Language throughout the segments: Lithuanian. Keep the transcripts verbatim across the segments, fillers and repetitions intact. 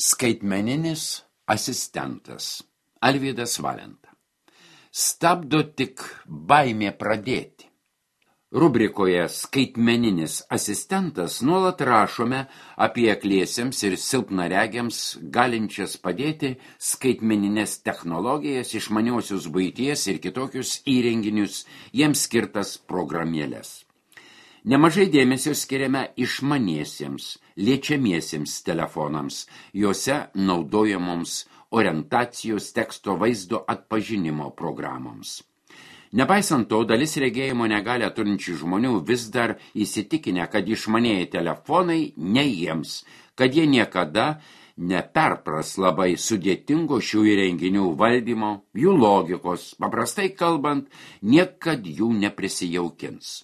Skaitmeninis asistentas Alvydas Valenta. Stabdo tik baimė pradėti. Rubrikoje Skaitmeninis asistentas nuolat rašome apie akliesiems ir silpnaregiams galinčias padėti skaitmeninės technologijas, išmaniosius buities ir kitokius įrenginius, jiems skirtas programėlės. Nemažai dėmesio skiriame išmaniesiems, liečiamiesiems telefonams, juose naudojamoms orientacijos teksto vaizdo atpažinimo programoms. Nepaisant to, dalis regėjimo negalią turinčių žmonių vis dar įsitikinę, kad išmanieji telefonai ne jiems, kad jie niekada neperpras labai sudėtingo šių įrenginių valdymo, jų logikos, paprastai kalbant, niekad jų neprisijaukins.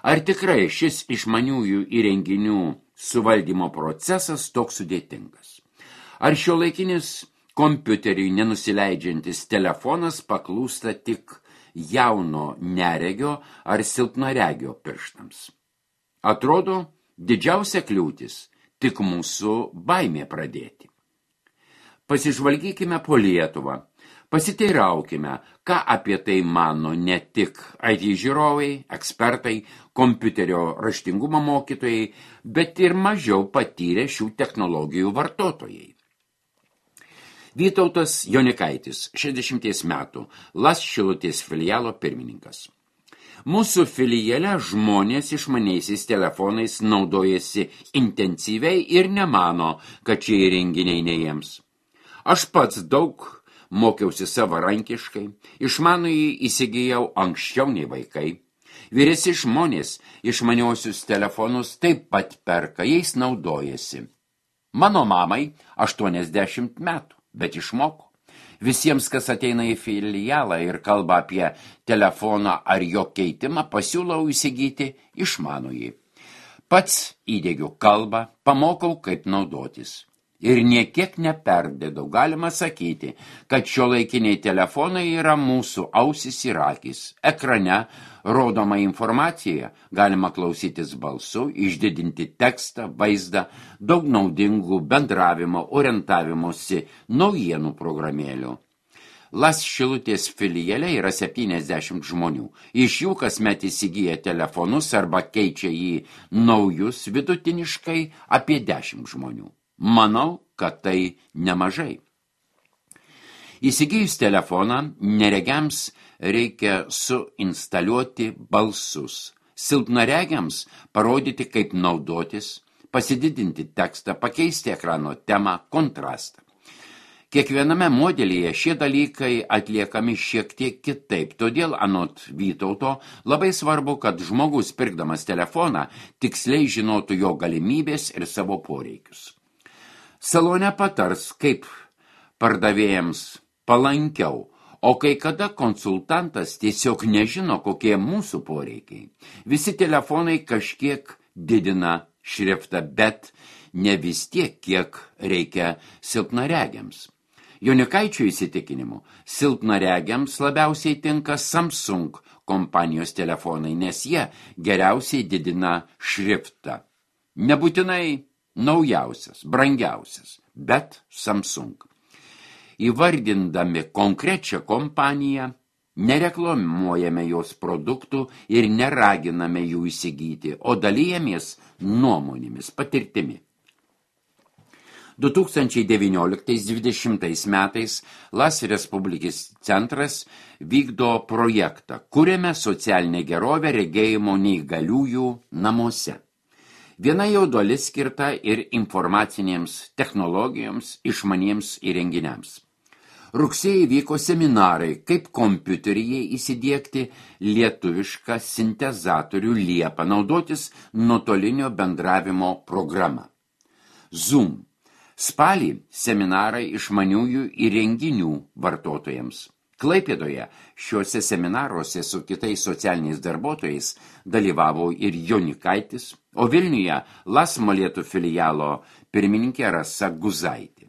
Ar tikrai šis išmaniųjų įrenginių suvaldymo procesas toks sudėtingas? Ar šiuolaikinis kompiuteriui nenusileidžiantis telefonas paklūsta tik jauno neregio ar silpnaregio pirštams? Atrodo, didžiausia kliūtis tik mūsų baimė pradėti. Pasižvalgykime po Lietuvą. Pasiteiraukime, ką apie tai mano ne tik I T žiūrovai, ekspertai, kompiuterio raštingumo mokytojai, bet ir mažiau patyrę šių technologijų vartotojai. Vytautas Jonikaitis, šešiasdešimties metų, Las Šilutės filialo pirmininkas. Mūsų filiale žmonės išmaniaisiais telefonais naudojasi intensyviai ir nemano, kad šie įrenginiai ne jiems. Aš pats daug mokiausi savarankiškai, išmanųjį įsigijau anksčiau nei vaikai. Vyresni žmonės išmaniuosius telefonus taip pat perka, jais naudojasi. Mano mamai aštuoniasdešimt metų, bet išmoko. Visiems, kas ateina į filialą ir kalba apie telefoną ar jo keitimą, pasiūlau įsigyti išmanųjį. Pats įdiegiu kalbą, pamokau, kaip naudotis. Ir niekiek neperdėdau, galima sakyti, kad šiuolaikiniai telefonai yra mūsų ausis ir akys. Ekrane rodoma informacija, galima klausytis balsu, išdidinti tekstą, vaizdą, daug naudingų bendravimo, orientavimosi, naujienų programėlių. Las Šilutės filiale yra septyniasdešimt žmonių. Iš jų kasmet įsigyja telefonus arba keičia jį naujus vidutiniškai apie dešimt žmonių. Manau, kad tai nemažai. Įsigijus telefoną, neregiams reikia suinstaliuoti balsus. Silpnaregiams parodyti, kaip naudotis, pasididinti tekstą, pakeisti ekrano temą, kontrastą. Kiekviename modelyje šie dalykai atliekami šiek tiek kitaip, todėl anot Vytauto labai svarbu, kad žmogus pirkdamas telefoną tiksliai žinotų jo galimybės ir savo poreikius. Salone patars, kaip pardavėjams palankiau, o kai kada konsultantas tiesiog nežino, kokie mūsų poreikiai. Visi telefonai kažkiek didina šriftą, bet ne vis tiek, kiek reikia silpnaregiams. Jonikaičio įsitikinimu, silpnaregiams labiausiai tinka Samsung kompanijos telefonai, nes jie geriausiai didina šriftą. Nebūtinai naujausias, brangiausias, bet Samsung. Įvardindami konkrečią kompaniją, nereklamuojame jos produktų ir neraginame jų įsigyti, o dalijamės nuomonėmis, patirtimi. du tūkstančiai devynioliktais dvidešimtais metais Las Respublikos centras vykdo projektą, kuriame socialinę gerovę regėjimo neįgaliųjų namuose. Viena jo dalis skirta ir informacinėms technologijoms, išmaniems įrenginiams. Rugsėjį vyko seminarai, kaip kompiuteryje įsidiegti lietuvišką sintezatorių liepą, naudotis nuotolinio bendravimo programą. Zoom. Spalį seminarai išmaniųjų įrenginių vartotojams. Klaipėdoje šiuose seminaruose su kitais socialiniais darbuotojais dalyvavo ir Jonikaitis, o Vilniuje Las Molėtų filialo pirmininkė Rasa Guzaitė.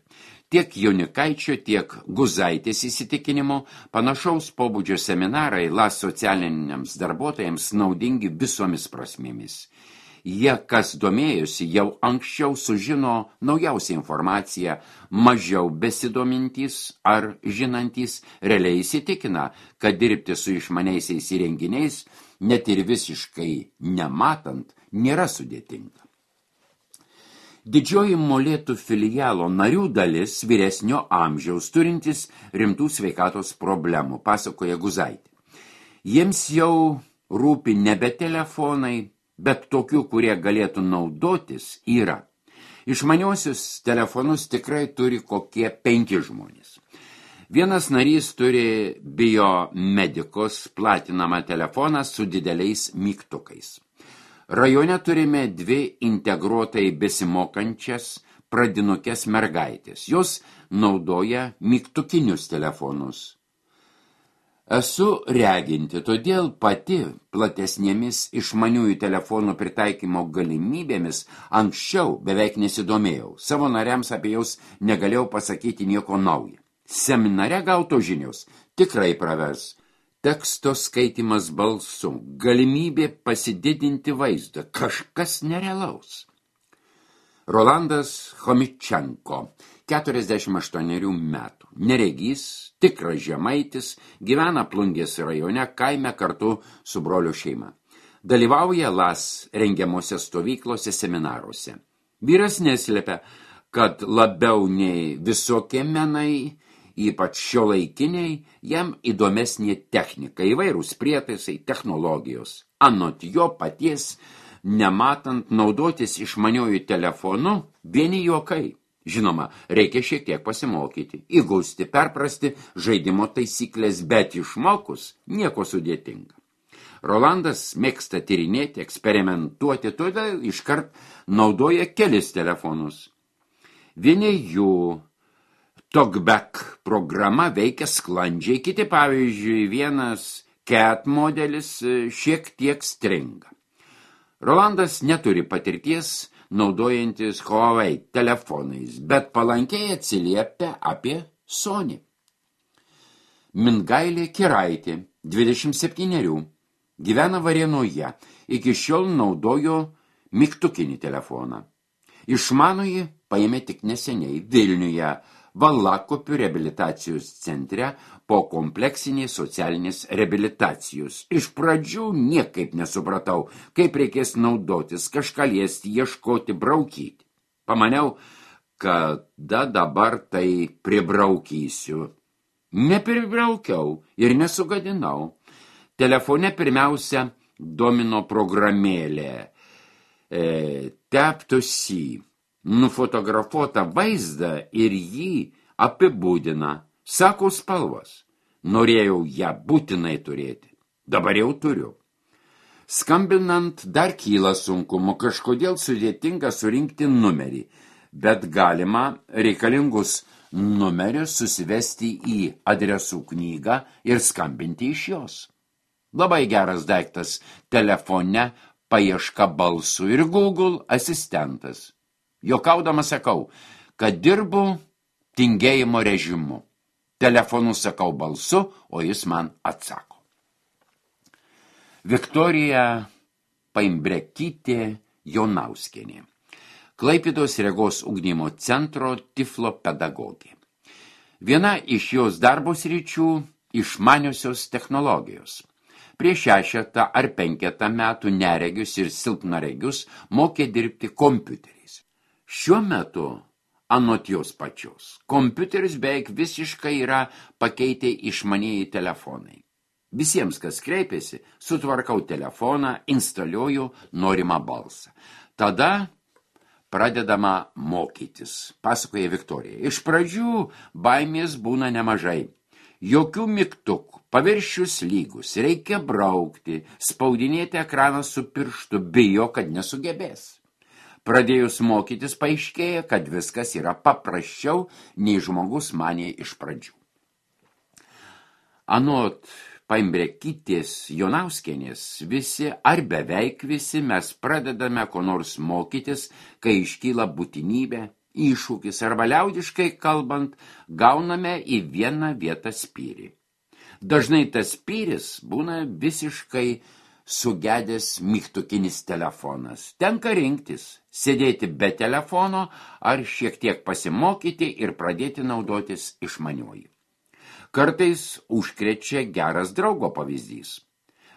Tiek Jonikaičio, tiek Guzaitės įsitikinimu panašaus pobūdžio seminarai Las socialiniams darbuotojams naudingi visomis prasmėmis. Jie, kas domėjosi, jau anksčiau sužino naujausią informaciją, mažiau besidomintys ar žinantys realiai įsitikina, kad dirbti su išmaniaisiais įrenginiais, net ir visiškai nematant, nėra sudėtinga. Didžioji Molėtų filialo narių dalis vyresnio amžiaus turintis rimtų sveikatos problemų, pasakoja Guzaitė. Jiems jau rūpi nebe telefonai, bet tokių, kurie galėtų naudotis, yra. Išmaniuosius telefonus tikrai turi kokie penki žmonės. Vienas narys turi biomedikos platinamą telefoną su dideliais mygtukais. Rajone turime dvi integruotai besimokančias pradinukės mergaitės. Jos naudoja mygtukinius telefonus. Esu reginti, todėl pati platesnėmis išmaniųjų telefonų pritaikymo galimybėmis anksčiau beveik nesidomėjau. Savo nariams apie jaus negalėjau pasakyti nieko naujo. Seminare gauto žinios tikrai pravers. Teksto skaitimas balsu, galimybė pasididinti vaizdą, kažkas nerealaus. Rolandas Chomičenko, keturiasdešimt aštuonerių metų, neregys, tikras žemaitis, gyvena Plungės rajone, kaime kartu su brolio šeima. Dalyvauja L A S rengiamose stovyklose, seminaruose. Vyras neslėpia, kad labiau nei visokie menai, ypač šiuolaikiniai, jam įdomesnė technika, įvairūs prietaisai, technologijos. Anot jo paties, nematant naudotis išmaniuoju telefonu, vieni juokai. Žinoma, reikia šiek tiek pasimokyti, įgausti, perprasti žaidimo taisyklės, bet išmokus nieko sudėtinga. Rolandas mėgsta tyrinėti, eksperimentuoti, todėl iškart naudoja kelis telefonus. Vieni jų TalkBack programa veikia sklandžiai, kiti, pavyzdžiui, vienas Cat modelis šiek tiek stringa. Rolandas neturi patirties naudojantis Huawei telefonais, bet palankiai atsiliepia apie Sony. Mingailė Kiraitė, dvidešimt septynerių, gyvena Varėnoje, iki šiol naudojo mygtukinį telefoną. Išmanųjį paėmė tik neseniai Vilniuje, Valakopių reabilitacijos centre po kompleksinės socialinės reabilitacijos. Iš pradžių niekaip nesupratau, kaip reikės naudotis, kažką liesti, ieškoti, braukyti. Pamaniau, kada dabar tai pribraukysiu. Nepribraukiau ir nesugadinau. Telefone pirmiausia domino programėlė e, Tap-to-See. Nufotografuotą vaizdą ir jį apibūdina, sako spalvos. Norėjau ją būtinai turėti. Dabar jau turiu. Skambinant dar kyla sunkumu, kažkodėl sudėtinga surinkti numerį, bet galima reikalingus numerius susivesti į adresų knygą ir skambinti iš jos. Labai geras daiktas telefone paieška balsų ir Google asistentas. Jokaudama sakau, kad dirbu tingėjimo režimu. Telefonu sakau balsu, o jis man atsako. Viktorija Paimbrekytė Jonauskienė, Klaipėdos regos ugdymo centro tiflo pedagogė. Viena iš jos darbo sričių išmaniosios technologijos. Prieš šešetą ar penketą metų neregius ir silpnaregius mokė dirbti kompiuteriais. Šiuo metu, anot jos pačios, kompiuteris beveik visiškai yra pakeitę išmanieji telefonai. Visiems, kas kreipiasi, sutvarkau telefoną, instaliuoju norimą balsą. Tada pradedama mokytis, pasakoja Viktorija. Iš pradžių baimės būna nemažai. Jokių mygtukų, paviršius lygus, reikia braukti, spaudinėti ekraną su pirštu, bijo, kad nesugebės. Pradėjus mokytis paaiškėja, kad viskas yra paprasčiau, nei žmogus manė iš pradžių. Anot Paimbrekytės Jonauskienės, visi ar beveik visi mes pradedame ko nors mokytis, kai iškyla būtinybė, iššūkis arba liaudiškai kalbant, gauname į vieną vietą spyrį. Dažnai tas spyris būna visiškai sugedęs mygtukinis telefonas. Tenka rinktis, sėdėti be telefono ar šiek tiek pasimokyti ir pradėti naudotis išmaniuoju. Kartais užkrečia geras draugo pavyzdys.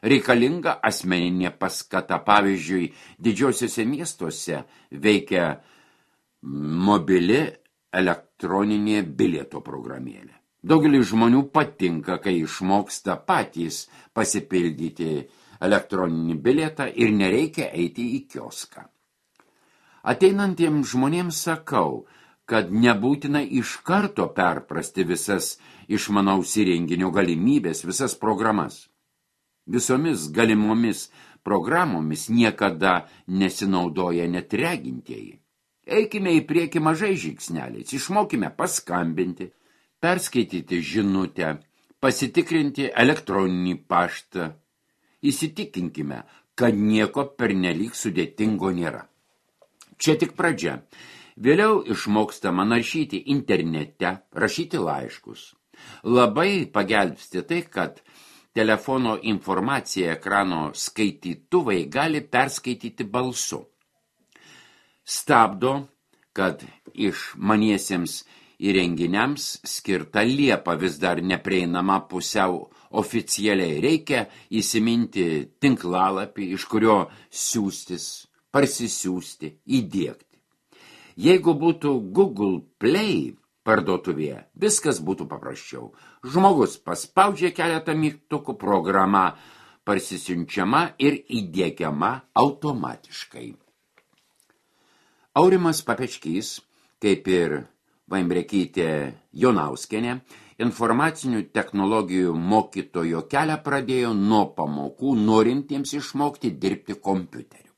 Reikalinga asmeninė paskata. Pavyzdžiui, didžiosiuose miestuose veikia mobili elektroninė bilieto programėlė. Daugelis žmonių patinka, kai išmoksta patys pasipildyti elektroninį bilietą ir nereikia eiti į kioską. Ateinantiems žmonėms sakau, kad nebūtina iš karto perprasti visas išmanaus įrenginio galimybės, visas programas. Visomis galimomis programomis niekada nesinaudoja net regintieji. Eikime į priekį mažai žingsneliais, išmokime paskambinti, perskaityti žinutę, pasitikrinti elektroninį paštą. Įsitikinkime, kad nieko pernelyg sudėtingo nėra. Čia tik pradžia. Vėliau išmokstama naršyti internete, rašyti laiškus. Labai pagelbsti tai, kad telefono informaciją ekrano skaitytuvai gali perskaityti balsu. Stabdo, kad išmaniesiems įrenginiams skirta liepa vis dar neprieinama pusiau oficialiai. Reikia įsiminti tinklalapį, iš kurio siųstis, parsisiųsti, įdiegti. Jeigu būtų Google Play parduotuvėje, viskas būtų paprasčiau. Žmogus paspaudžia keletą mygtukų, programa parsisiunčiama ir įdiegiama automatiškai. Aurimas Papečkys, kaip ir Vaimbrekytė Jonauskienė, informacinių technologijų mokytojo kelią pradėjo nuo pamokų norintiems išmokti dirbti kompiuteriu.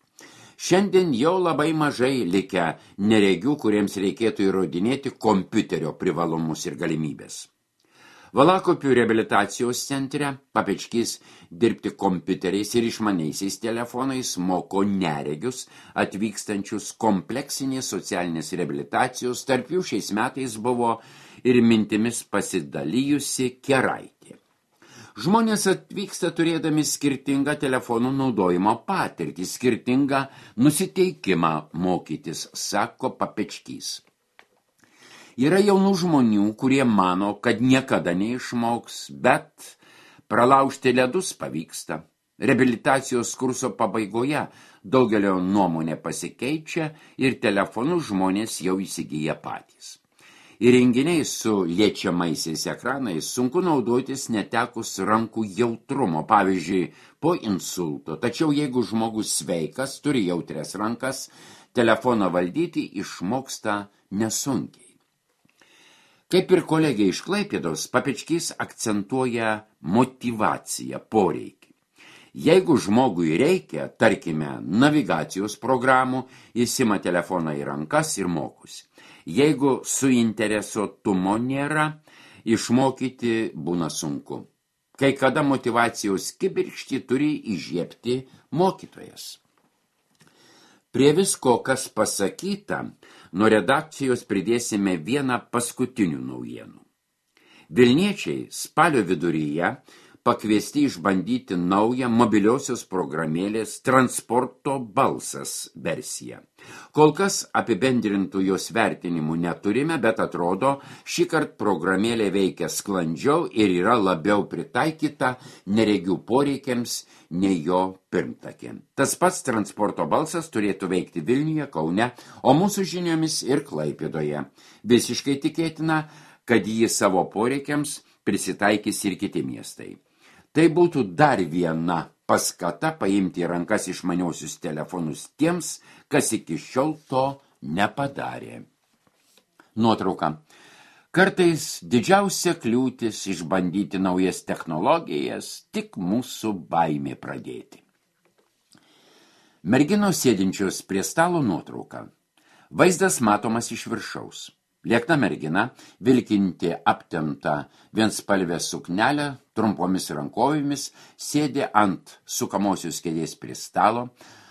Šiandien jau labai mažai likę neregių, kuriems reikėtų įrodinėti kompiuterio privalumus ir galimybės. Valakopių reabilitacijos centre Papečkys dirbti kompiuteriais ir išmaniaisiais telefonais moko neregius atvykstančius kompleksinės socialinės reabilitacijos, tarp jų šiais metais buvo ir mintimis pasidalijusi Keraitė. Žmonės atvyksta turėdami skirtingą telefonų naudojimo patirtį, skirtingą nusiteikimą mokytis, sako Papečkys. Yra jaunų žmonių, kurie mano, kad niekada neišmoks, bet pralaužti ledus pavyksta. Reabilitacijos kurso pabaigoje daugelio nuomonė pasikeičia ir telefonų žmonės jau įsigyja patys. Įrenginiai su liečiamaisiais ekranais sunku naudotis netekus rankų jautrumo, pavyzdžiui, po insulto. Tačiau jeigu žmogus sveikas, turi jautrias rankas, telefoną valdyti išmoksta nesunkiai. Kaip ir kolegė iš Klaipėdos, Papečkys akcentuoja motyvaciją, poreikį. Jeigu žmogui reikia, tarkime, navigacijos programų, jis ima telefoną į rankas ir mokosi. Jeigu suinteresuotumo nėra, išmokyti būna sunku. Kai kada motyvacijos kibirkštį turi įžiebti mokytojas. Prie visko, kas pasakyta, nuo redakcijos pridėsime vieną paskutinių naujienų. Vilniečiai spalio viduryje pakviesti išbandyti naują mobiliosios programėlės Transporto balsas versiją. Kol kas apibendrintų jos vertinimų neturime, bet atrodo, šįkart programėlė veikia sklandžiau ir yra labiau pritaikyta neregių poreikiams nei jo pirmtakė. Tas pats Transporto balsas turėtų veikti Vilniuje, Kaune, o mūsų žiniomis ir Klaipėdoje. Visiškai tikėtina, kad jį savo poreikiams prisitaikys ir kiti miestai. Tai būtų dar viena paskata paimti į rankas išmaniosius telefonus tiems, kas iki šiol to nepadarė. Nuotrauka. Kartais didžiausia kliūtis išbandyti naujas technologijas, tik mūsų baimė pradėti. Merginos sėdinčios prie stalo nuotrauka. Vaizdas matomas iš viršaus. Liekna mergina, vilkinti aptemptą vienspalvę suknelę, trumpomis rankovėmis, sėdė ant sukamosios kėdės prie stalo,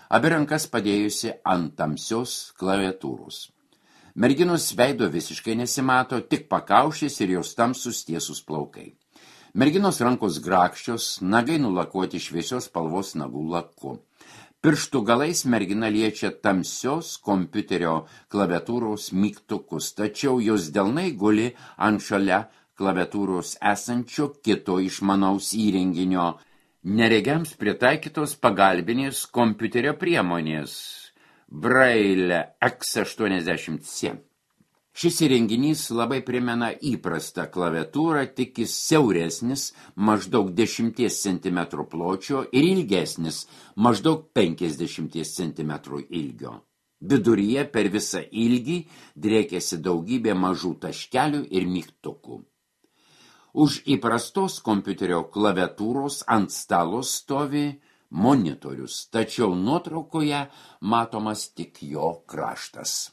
abi rankas padėjusi ant tamsios klaviatūros. Merginos veido visiškai nesimato, tik pakaušis ir jos tamsus tiesus plaukai. Merginos rankos grakščios, nagai nulakuoti šviesios spalvos nagų laku. Pirštų galais mergina liečia tamsios kompiuterio klaviatūros mygtukus, tačiau jos delnai guli ant šalia klaviatūros esančio kito išmanaus įrenginio, neregiams pritaikytos pagalbinės kompiuterio priemonės Braille X aštuoniasdešimt C. Šis įrenginys labai primena įprastą klaviatūrą, tik jis siauresnis, maždaug dešimties centimetrų pločio ir ilgesnis, maždaug penkiasdešimties centimetrų ilgio. Viduryje per visą ilgį driekiasi daugybė mažų taškelių ir mygtukų. Už įprastos kompiuterio klaviatūros ant stalo stovi monitorius, tačiau nuotraukoje matomas tik jo kraštas.